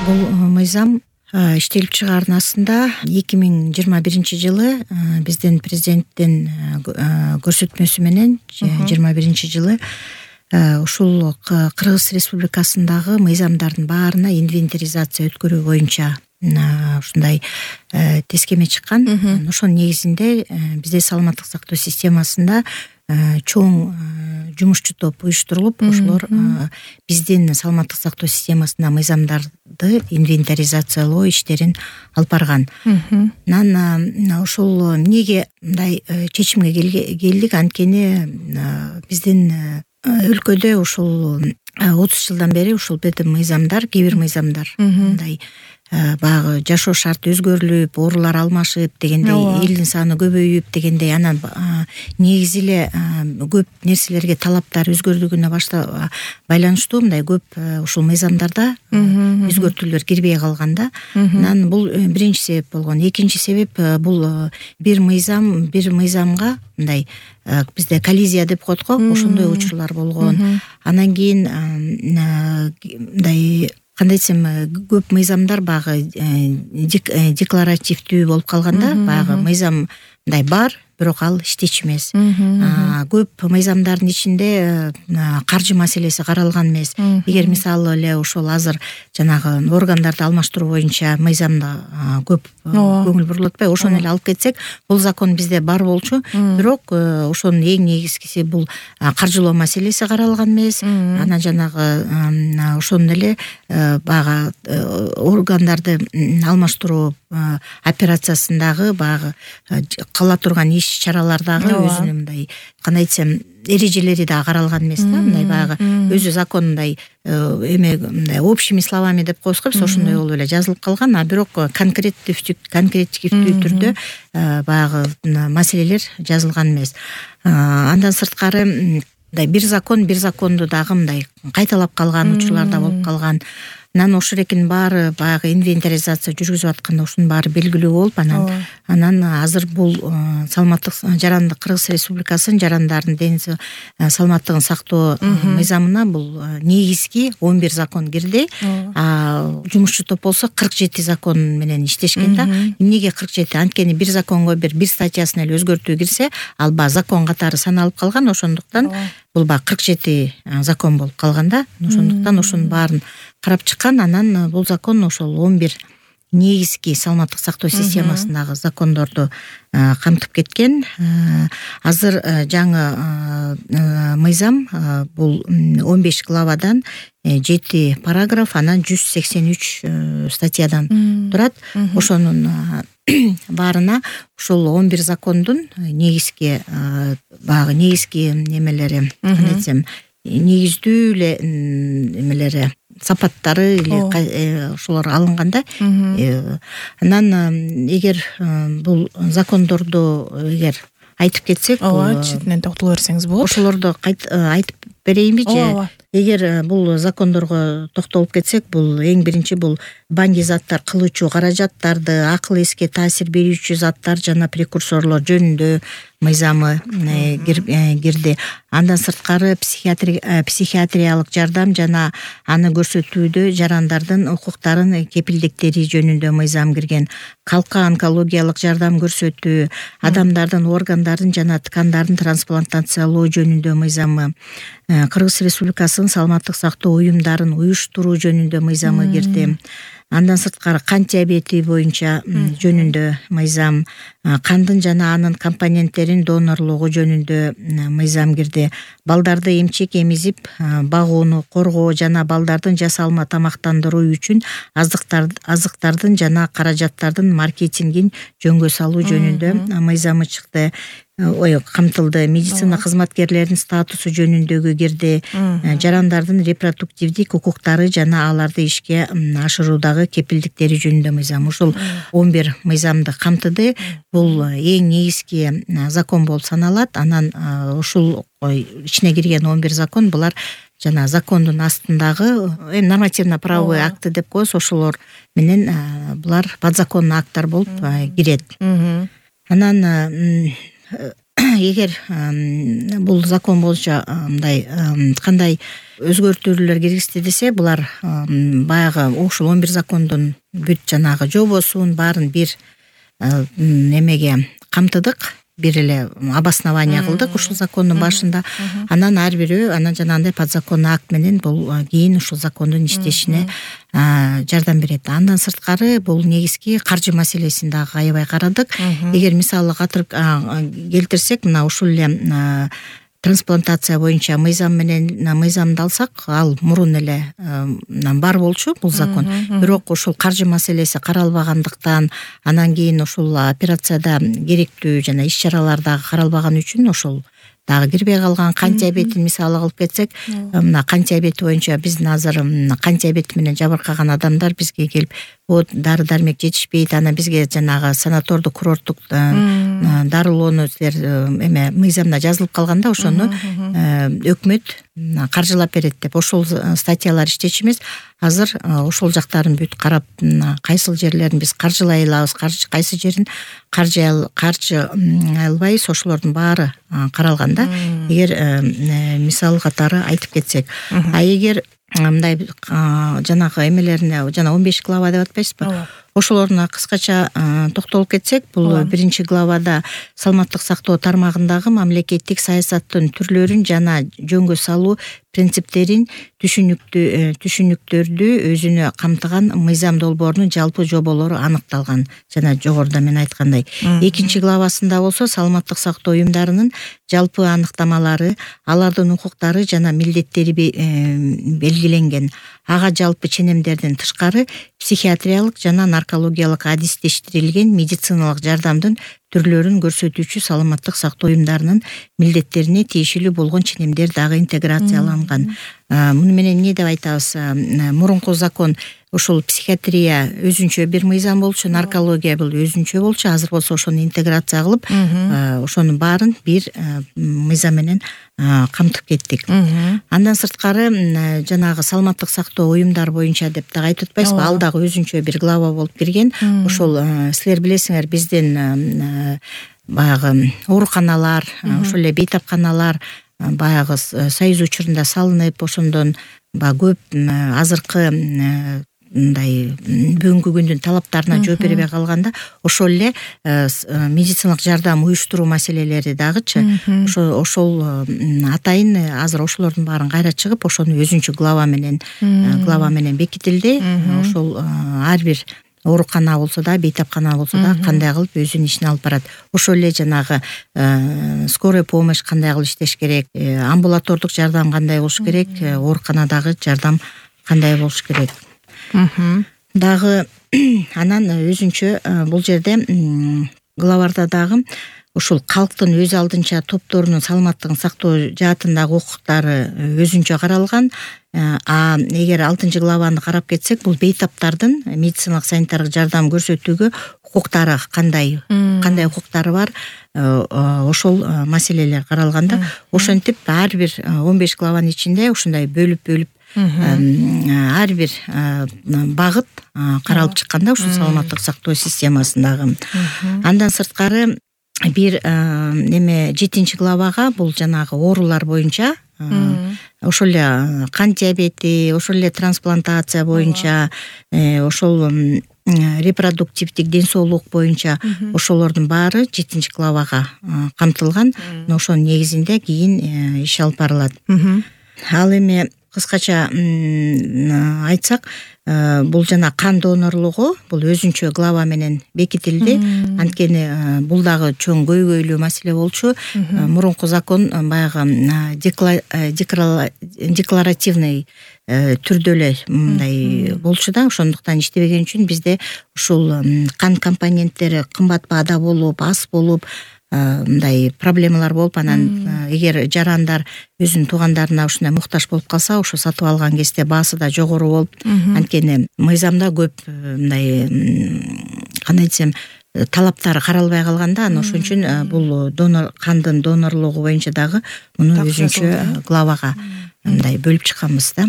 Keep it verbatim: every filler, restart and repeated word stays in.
Бул мыйзам иштелип чыгарынасында эки миң жыйырма биринчи жылы биздин президенттин көрсөтмөсү менен жыйырма биринчи жылы ушул Кыргыз Республикасындагы мыйзамдардын баарына инвентаризация өткөрүү боюнча ушундай тескеме чыккан. Ошонун негизинде бизде саламаттык сактоо системасында чоң жумушчу топ уюштурулуп, ошолор биздин саламаттык сактоо системасына мыйзамдарды инвентаризациялоо иштерин алып барган. Анан ошол эмнеге мындай чечимге келдик? Анткени биздин өлкөдө ушул отуз жылдан бери ушул биздин мыйзамдар, кээ бир мыйзамдар мындай баягы жашоо шарты өзгөрүлүп, оорулар алмашып дегендей, элдин саны көбөйүп дегендей, анан негизи эле көп нерселерге талаптар өзгөрдүгүнө башта байланыштуу мындай көп ушул мыйзамдарда өзгөртүүлөр кирбей калганда, анан бул биринчи себеп болгон. Экинчи себеп бул бир мыйзам бир мыйзамга мындай бизде коллизия деп коет го, ошондой учурлар болгон. Анан кийин мындай кандай десем, көп мыйзамдар багы декларативдүү болуп калганда, багы мыйзам мындай бар, бирок ал иштечү эмес. Көп мыйзамдардын ичинде каржы маселеси каралган эмес. Эгер мисалы эле ошол азыр жанагы органдарды алмаштыруу боюнча мыйзамда көп көңүл бурулуп атпайбы, ошону эле алып кетсек, бул закон бизде бар болчу, бирок ошонун эң негизгиси бул каржылоо маселеси каралган эмес. Анан жанагы ошону эле баягы органдарды алмаштыруу операциясындагы баягы кыла турган иш чаралардагы өзүнүн мындай кандай десем эрежелери да каралган эмес да, мындай баягы өзү закон мындай эме мындай общими словами деп коебуз го, биз ошондой болуп эле жазылып калган, а бирок конкреттивдүү конкретивдүү түрдө баягы маселелер жазылган эмес. Андан сырткары мындай бир закон бир законду дагы мындай кайталап калган учурлар да болуп калган. Анан ошол экинин баары баягы инвентаризация жүргүзүп атканда ушунун баары белгилүү болуп, анан анан азыр бул саламаттык жарандык Кыргыз Республикасынын жарандардын ден саламаттыгын сактоо мыйзамына бул негизги он бир закон кирди. А жумушчу топ болсо кырк жети закон менен иштешкен да. Эмнеге кырк жети? Анткени бир законго бир бир статьясына эле өзгөртүү кирсе, ал ба закон катары саналып калган, ошондуктан бул ба кырк жети закон болуп калган да. Ошондуктан ошонун баарын карап чыккан. Анан бул закон ошол он бир негизги саламаттык сактоо системасындагы закондорду камтып кеткен. Азыр жаңы мыйзам бул он беш главадан жети параграф, анан жүз сексен үч статьядан турат. Ошонун баарына ушул он бир закондун негизги баягы негизги немелери, кандай десем, негиздүү эле эмелери, сапаттары эле ошолор алынганда. Анан эгер бул закондорду эгер айтып кетсек, ооба, четинен токтоло берсеңиз болот. Ошолорду айтып берейинби же? Эгер бул закондорго токтолуп кетсек, бул эң биринчи бул баңги заттар кылуучу каражаттарды, акыл эске таасир берүүчү заттар жана прекурсорлор жөнүндө мыйзамы кирди. Андан сырткары психиатриялык жардам жана аны көрсөтүүдө жарандардын укуктарын кепилдиктери жөнүндө мыйзам кирген. Калкка онкологиялык жардам көрсөтүү, адамдардын органдарын жана ткандарын трансплантациялоо жөнүндө мыйзамы, Кыргыз Республикасынын саламаттык сактоо уюмдарын уюштуруу жөнүндө мыйзамы кирди. Андан сырткары кант диабети боюнча жөнүндө мыйзам, кандын жана анын компоненттерин донорлугу жөнүндө мыйзам кирди. Балдарды эмчек эмизип багууну коргоо жана балдардын жасалма тамактандыруу үчүн азыктардын жана каражаттардын маркетингин жөнгө салуу жөнүндө мыйзамы чыкты. Ой, камтылды. Медицина кызматкерлеринин статусу жөнүндөгү кирди. Жарандардын репродуктивдик укуктары жана аларды ишке ашыруудагы кепилдиктери жөнүндө мыйзам. Ушул он бир мыйзамды камтыды. Бул эң негизги закон болуп саналат. Анан ушул ичине кирген он бир закон, булар жана закондун астындагы нормативно-правовой акты деп коебуз, ошолор менен булар подзаконный акттар болуп кирет. Анан эгер бул закон боюнча мындай кандай өзгөртүүлөр киргизди десе, булар баягы ушул он бир закондун бүт жанагы жобосун баарын бир немеге камтыдык, бир эле обоснование кылдык ушул закондун башында. Анан ар бирөө анан жанагындай подзаконный акт менен бул кийин ушул закондун иштешине жардам берет. Андан сырткары бул негизги каржы маселесин дагы аябай карадык. Эгер мисалы катырып келтирсек, мына ушул эле трансплантация боюнча мыйзам менен мыйзамды алсак, ал мурун эле бар болчу бул закон. Бирок ушул каржы маселеси каралбагандыктан, анан кийин ушул операцияда керектүү жана иш-чаралар дагы каралбаган үчүн ошол дагы кирбей калган. Кант диабетин мисалы кылып кетсек, мына кант диабети боюнча биздин азыр кант диабети менен жабыркаган адамдар бизге келип, вот дары дармек жетишпейт, анан бизге жанагы санатордук курорттук дарылоону силер эме мыйзамда жазылып калганда ошону өкмөт каржылап берет деп ошол статьялар иштечүбүз. Азыр ошол жактарын бүт карап, кайсыл жерлерин биз каржылай алабыз, кайсы жерин каржы каржы албайбыз, ошолордун баары каралганда. Эгер мисал катары айтып кетсек, а эгер мындай жанагы эмелерине, жана он беш глава деп атпайсызбы, ошолоруна кыскача токтолуп кетсек, бул биринчи главада саламаттык сактоо тармагындагы мамлекеттик саясаттын түрлөрүн жана жөнгө салуу принциптерин, түшүнүктүү түшүнүктөрдү өзүнө камтыган мыйзам долбоорунун жалпы жоболору аныкталган. Жана жогоруда мен айткандай, экинчи главасында болсо саламаттык сактоо уюмдарынын жалпы аныктамалары, алардын укуктары жана милдеттери белгиленген. Ага жалпы ченемдерден тышкары психиатриялык жана наркологиялык адистештирилген медициналык жардамдын түрлөрүн көрсөтүүчү саламаттык сактоо уюмдарынын милдеттерине тиешелүү болгон ченемдер дагы интеграцияланган. Муну менен эмне деп айтабыз? Мурунку закон ошол психиатрия өзүнчө бир мыйзам болчу, наркология бул өзүнчө болчу. Азыр болсо ошону интеграция кылып, ошонун баарын бир мыйзам менен камтып кеттик. Андан сырткары жанагы саламаттык сактоо уюмдар боюнча деп дагы айтып атпайсызбы, ал дагы өзүнчө бир глава болуп кирген. Ошол силер билесиңер, биздин баягы ооруканалар, ошол эле бейтапканалар баягы союз учурунда салынып, ошондон баягы көп азыркы мындай бүгүнкү күндүн талаптарына жооп бербей калганда, ошол эле медициналык жардам уюштуруу маселелери дагычы ошол ошол атайын азыр ошолордун баарын кайра чыгып, ошону өзүнчө глава менен глава менен бекитилди. Ошол ар бир оорукана болсо да, бейтапкана болсо да кандай кылып өзүнүн ишин алып барат. Ошол эле жанагы скорая помощь кандай кылып иштеш керек, амбулатордук жардам кандай болуш керек, ооруканадагы жардам кандай болуш керек. Дагы анан өзүнчө бул жерде главарда дагы ушул калктын өз алдынча топторунун саламаттыгын сактоо жаатындагы укуктары өзүнчө каралган. А эгер алтынчы главаны карап кетсек, бул бейтаптардын медициналык санитардык жардам көрсөтүүгө укуктары кандай, кандай укуктары бар, ошол маселелер каралганда, ошентип ар бир он беш главанын ичинде ушундай бөлүп-бөлүп ар бир багыт каралып чыкканда ушул саламаттык сактоо системасындагы. Андан сырткары бир неме жетинчи главага бул жанагы оорулар боюнча, ошол эле кант диабети, ошол эле трансплантация боюнча, ошол репродуктивдик ден соолук боюнча ошолордун баары жетинчи главага камтылган. Ошонун негизинде кийин иш алып барылат. Ал эми кыскача айтсак, бул жана кан донорлугу бул өзүнчө глава менен бекитилди. Анткени бул дагы чоң көйгөйлүү маселе болчу. Мурунку закон баягы декларативный түрдө эле мындай болчу да, ошондуктан иштебеген үчүн бизде ушул кан компоненттери кымбат баада болуп, аз болуп, мындай проблемалар болуп, анан эгер жарандар өзүнүн туугандарына ушундай муктаж болуп калса, ошо сатып алган кезде баасы да жогору болуп, анткени мыйзамда көп мындай кандай десем талаптары каралбай калганда, анан ошон үчүн бул донор кандын донорлугу боюнча дагы муну өзүнчө главага мындай бөлүп чыкканбыз да.